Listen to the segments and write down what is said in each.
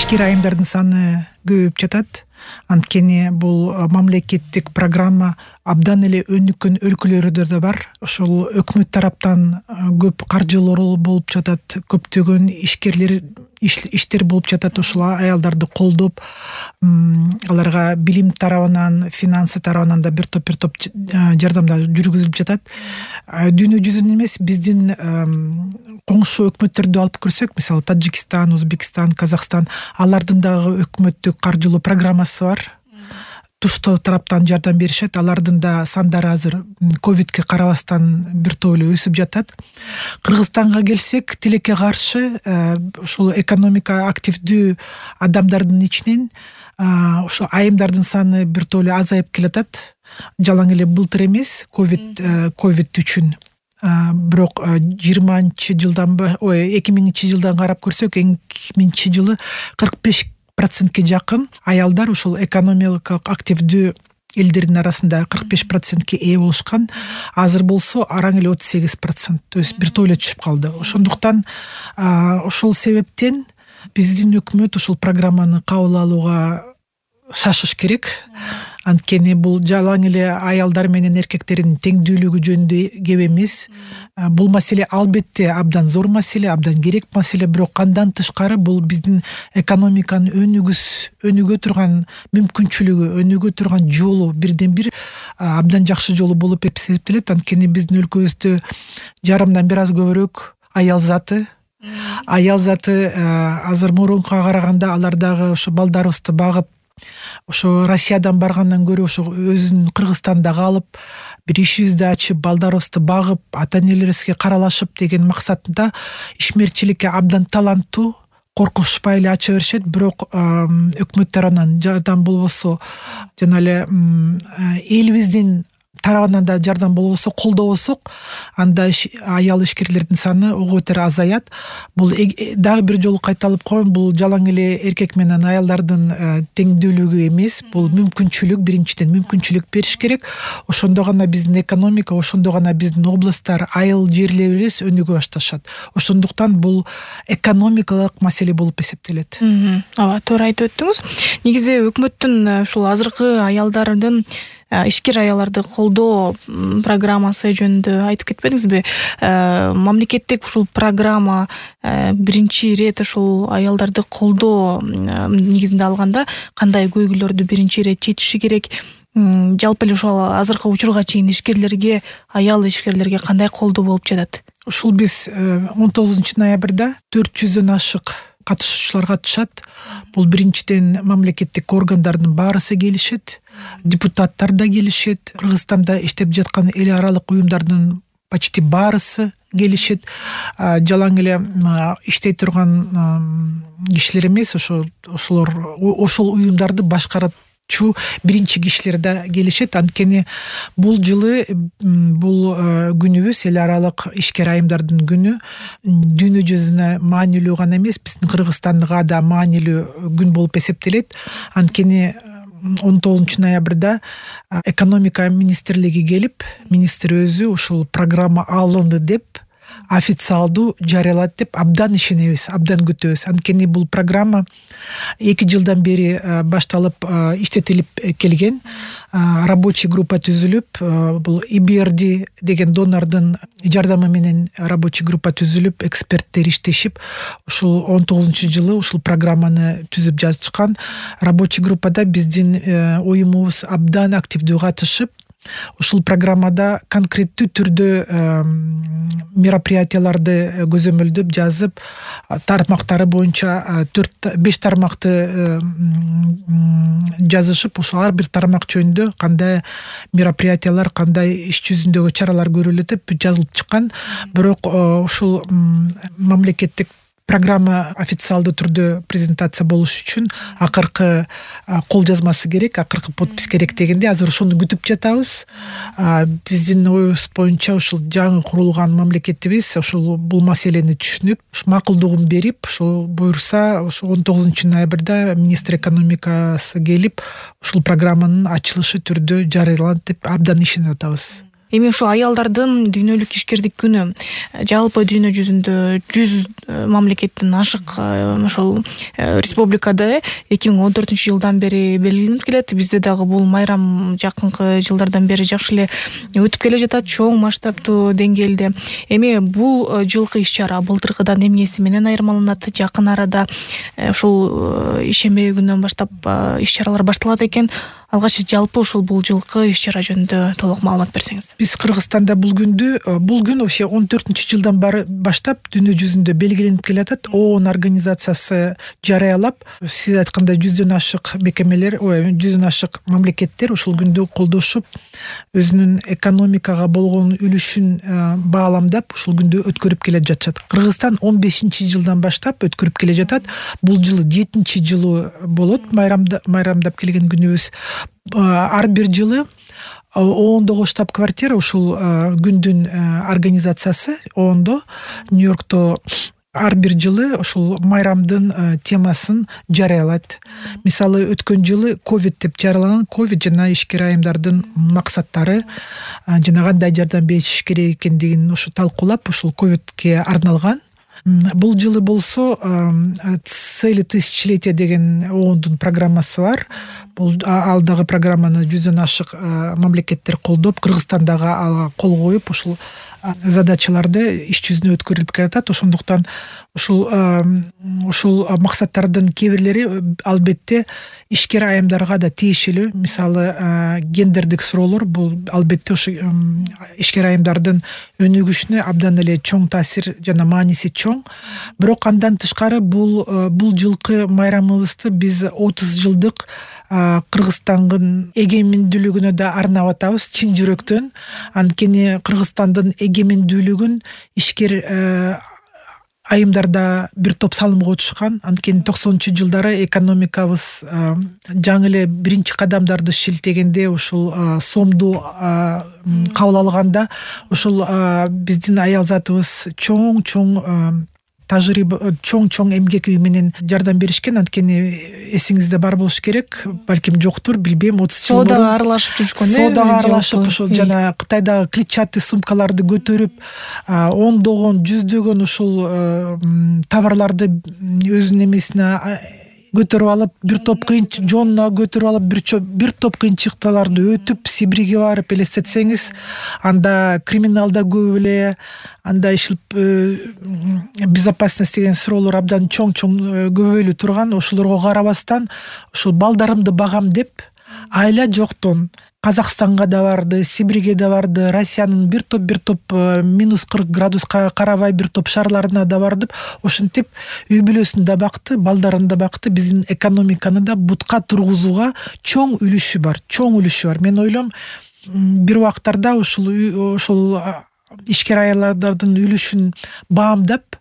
ишкер айымдардын саны көбөйүп жатат. Анткени бул мамлекеттик программа абдан эле өнүккөн өлкөлөрдө да бар. Ошол өкмөт тараптан көп каржылоо болуп жатат, көптөгөн иштер болуп жатат. Ошол аялдарды колдоп, аларга билим тарабынан, финансы тарабынан да бир топ жардамдар жүргүзүлүп жатат. Дүйнө жүзүнөн эмес, биздин коңшу өкмөттөрдү алып көрсөк, мисалы Таджикистан, Өзбекстан, Казакстан, алардын дагы өкмөттүк каржылоо программасы бар. Туштоо тараптан жардам беришет. Алардын да сандары азыр ковидке карабастан бир топ эле өсүп жатат. Кыргызстанга келсек, тилекке каршы ушул экономика активдүү адамдардын ичинен ошо айымдардын саны бир топ эле азайып келатат. Жалаң эле былтыр эмес, ковид үчүн. Бирок 2000 жылдан карап көрсөк, 2000 жылы 45% жакын аялдар ушул экономикалык активдүү элдердин арасында 45% ээ болушкан. Азыр болсо араң эле 38%, то есть бир топ эле түшүп калды. Ошондуктан ошол себептен биздин өкмөт ушул программаны кабыл алууга шашыш керек. Анткени бул жалаң эле аялдар менен эркектердин теңдүүлүгү жөнүндө кеп эмес. Бул маселе албетте абдан зор маселе, абдан керек маселе, бирок андан тышкары бул биздин экономиканын өнүгө турган мүмкүнчүлүгү, өнүгө турган жолу, бирден бир абдан жакшы жолу болуп эсептелет. Анткени биздин өлкөбүздө жарымдан бир аз көбүрөөк аял заты азыр мурункуга караганда алар дагы ошо балдарыбызды багып, ошо Россиядан баргандан көрө ошо өзүн Кыргызстанда калып, бир ишибизди ачып, балдарыбызды багып, ата-энелерибизге каралашып деген максатында ишмерчиликке абдан таланттуу, коркушпай эле ача беришет. Бирок өкмөт тарабынан жардам болбосо, жана эле элибиздин тарабынан да жардам болбосо, колдобосок, анда аял ишкерлердин саны ого бетер азаят. Бул дагы бир жолу кайталып коеюн, бул жалаң эле эркек менен аялдардын теңдүүлүгү эмес, бул мүмкүнчүлүк, биринчиден мүмкүнчүлүк бериш керек. Ошондо гана биздин экономика, ошондо гана биздин областтар, айыл жерлерибиз өнүгө башташат. Ошондуктан бул экономикалык маселе болуп эсептелет. Ооба, туура айтып өттүңүз. Негизи өкмөттүн ушул азыркы аялдардын ишкер аялдарды колдоо программасы жөнүндө айтып кетпедиңизби? Мамлекеттик ушул программа биринчи ирет ушул аялдарды колдоо негизинде алганда кандай көйгүйлөрдү биринчи ирет чечиши керек? Жалпы эле ушул азыркы учурга чейин ишкерлерге, аял ишкерлерге кандай колдоо болуп жатат? Ушул биз 19 ноябрда 400дөн ашык катышуучулар катышат. Бул биринчиден мамлекеттик органдардын баарысы келишет, депутаттар да келишет, Кыргызстанда иштеп жаткан эл аралык уюмдардын почти баарысы келишет. Жалаң эле иштей турган кишилер эмес, ошол уюмдарды башкарып биринчи кишилер да келишет. Анткени бул жылы бул күнүбүз, эл аралык ишкер айымдардын күнү, дүйнө жүзүнө маанилүү гана эмес, биздин Кыргызстанга да маанилүү күн болуп эсептелет. Анткени 19 ноябрда экономика министрлиги келип, министр өзү ушул программа алынды деп официалдуу жарыялады деп абдан ишенебиз, абдан күтөбүз. Анткени бул программа 2 жылдан бери башталып иштетилип келген. Рабочий группа түзүлүп, бул ИБРД деген донордун жардамы менен рабочий группа түзүлүп, эксперттер иштешип, ушул 19-жылы ушул программаны түзүп жатышкан. Рабочий группада биздин уюмубуз абдан активдүү катышып, ушул программада конкреттүү түрдө мероприятияларды көзөмөлдөп жазып, тармактары боюнча 4-5 тармакты жазышып, ошол ар бир тармак жөнүндө кандай мероприятиялар, кандай иш жүзүндөгү чаралар көрүлөт деп жазылып чыккан. Бирок ушул мамлекеттик программа официалдуу түрдө презентация болуш үчүн акыркы кол жазмасы керек, акыркы подпись керек дегенде азыр ошону күтүп жатабыз. Биздин оюбуз боюнча ушул жаңы курулган мамлекетибиз ушул бул маселени түшүнүп, макулдугун берип, ошол буюрса, ошол 19 ноябрда министр экономикасы келип, ушул программанын ачылышы түрдө жарыяланат деп абдан ишенип атабыз. Эми ушул аялдардын дүйнөлүк ишкердик күнү жалпы дүйнө жүзүндө 100 мамлекеттен ашык ошол республикада 2014-жылдан бери белгиленип келет. Бизде дагы бул майрам жакынкы жылдардан бери жакшы эле өтүп келе жатат, чоң масштабтуу деңгээлде. Эми бул жылкы иш-чара былтыркыдан эмнеси менен айырмаланат? Жакын арада ушул ишембе күнүнөн баштап иш-чаралар башталат экен. Алгач жалпы ушул бул жылкы иш-чара жөнүндө толук маалымат берсеңиз. Биз Кыргызстанда бул күн вообще 14-жылдан баштап дүйнө жүзүндө белгиленип келатат. ООН организациясы жарыялап, сиз айткандай 100дөн ашык мекемелер, 100дөн ашык мамлекеттер ушул күндү колдошуп, өзүнүн экономикага болгон үлүшүн бааламдап ушул күндү өткөрүп келе жатышат. Кыргызстан 15-жылдан баштап өткөрүп келе жатат. Бул жылы 7-жылы болот майрамдап келген күнүбүз. Ар бир жылы ООНдогу штаб-квартира ушул күндүн организациясы ООНдо Нью-Йоркто ар бир жылы ушул майрамдын темасын жарыялайт. Мисалы өткөн жылы ковид деп жарыяланган. Ковид жана ишкер айымдардын максаттары жана кандай жардам бериш керек экендигин ушу талкуулап ушул ковидке арналган. Бул жылы болсо цели тысячелетия деген ООНдун программасы бар. Бул ал дагы программаны 100дөн ашык мамлекеттер колдоп, Кыргызстан дагы кол коюп ушул задачаларды иш жүзүнө өткөрүлүп келатат. Ошондуктан ушул максаттардын кээ бирлери албетте ишкер айымдарга да тиешелүү. Мисалы гендердик суроолор бул албетте ушу ишкер айымдардын өнүгүшүнө абдан эле чоң таасир жана мааниси чоң. Бирок андан тышкары бул жылкы майрамыбызды биз 30 жылдык Кыргызстандын эгемендүүлүгүнө да арнап атабыз чын жүрөктөн. Анткени Кыргызстандын эгемендүүлүгүн ишкер айымдарда бир топ салым котушкан. Анткени 90-жылдары экономикабыз жаңы эле биринчи кадамдарды шилтегенде, ушул сомду кабыл алганда, ушул биздин аял затыбыз чоң тажрыйба, чоң эмгек менен жардам беришкен. Анткени эсиңизде бар болуш керек, балким жоктур, билбейм, 30 жыл мурун соодага аралашып жүрүшкөн. Соодага аралашып ушул жана Кытайдагы клетчатый сумкаларды көтөрүп, ондогон, жүздөгөн ушул товарларды өзүнүн эмесине көтөрүп алып, бир топ жонуна көтөрүп алып, бир топ кыйынчылыктарды өтүп, Сибирге барып элестетсеңиз, анда криминалда көп эле, анда безопасность деген суроолор абдан чоң көбөйлү турган. Ошолорго карабастан, ушул балдарымды багам деп, айла жоктон Казакстанга да барды, Сибирге да барды, Россиянын бир топ минус 40 градуска карабай бир топ шаарларына да бардып, ошентип үй бүлөсүн да бакты, балдарын да бакты. Биздин экономиканы да бутка тургузууга чоң үлүшү бар. Мен ойлойм, бир убактарда ушул ишкер аялдардын үлүшүн баамдап,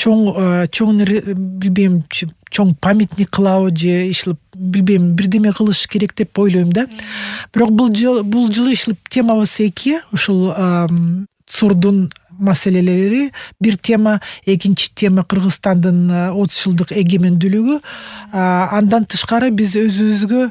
билбейм, чоң памятник кылабы же ишилип, билбейм, бирдеме кылыш керек деп ойлойм да. Бирок бул жылы ишилип темабыз эки, ушул цурдун маселелери бир тема, экинчи тема Кыргызстандын 30 жылдык эгемендүүлүгү. Андан тышкары биз өзүбүзгө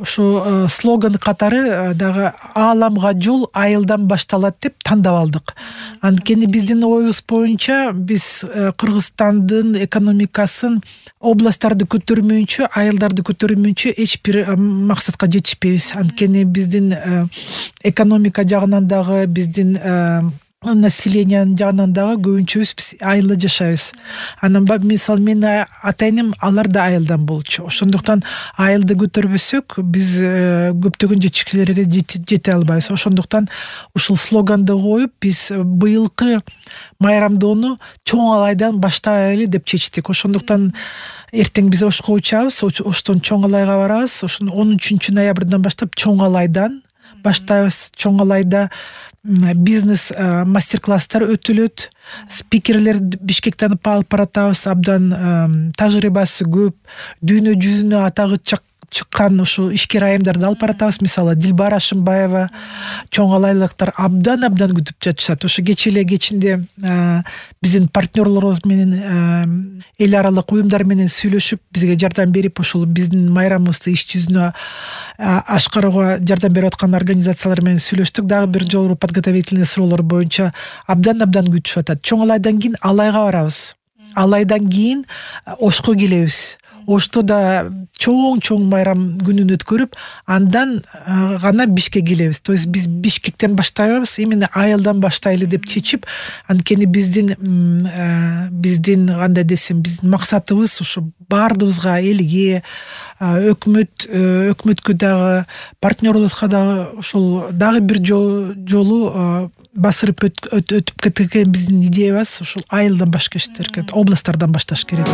ушу слоган катары дагы ааламга жол айылдан башталат деп тандап алдык. Анткени биздин оюбуз боюнча биз Кыргызстандын экономикасын областтарды көтөрмөйүнчө, айылдарды көтөрмөйүнчө эч бир максатка жетишпейбиз. Анткени биздин экономика жагынан дагы, биздин населениянын жагынан дагы көбүнчөбүз биз айылда жашайбыз. Анан мисалы менин ата-энем алар да айылдан болчу. Ошондуктан айылды көтөрбөсөк, биз көптөгөн жетишкилерге жете албайбыз. Ошондуктан ушул слоганды коюп, биз быйылкы майрамдоону чоң алайдан баштайлы деп чечтик. Ошондуктан эртең биз Ошко учабыз, Оштон чоң алайга барабыз. Ошону 13 ноябрдан баштап чоң алайдан баштайбыз. Чоң алайда бизнес мастер-класстар өтүлөт. Спикерлер Бишкектен алып баратабыз. Абдан тажрыйбасы көп, дүйнө жүзүнө атагы чыккан ушул ишкер айымдарды алып баратабыз. Мисалы Дилбара Ашымбаева, чоң алайлыктар абдан күтүп жатышат. Ошо кечинде биздин партнерлорубуз менен эл аралык уюмдар менен сүйлөшүп, бизге жардам берип, ушул биздин майрамыбызды иш жүзүнө ашкарууга жардам берип аткан организациялар менен сүйлөштүк. Дагы бир жолу подготовительный суроолор боюнча абдан күтүшүп атат. Чоң алайдан кийин Алайга барабыз. Алайдан кийин Ошко келебиз. Ошто да чоң майрам күнүн өткөрүп, андан гана Бишкекке келебиз. То есть биз Бишкектен баштайбыз, именно айылдан баштайлы деп чечип, анткени биздин кандай десем, биздин максатыбыз ушу баардыгыбызга, элге, өкмөткө дагы, партнерлорубузга дагы ушул дагы бир жолу басырып өтүп кеткен биздин идеябыз ушул айылдан башташ керек, областтардан башташ керек.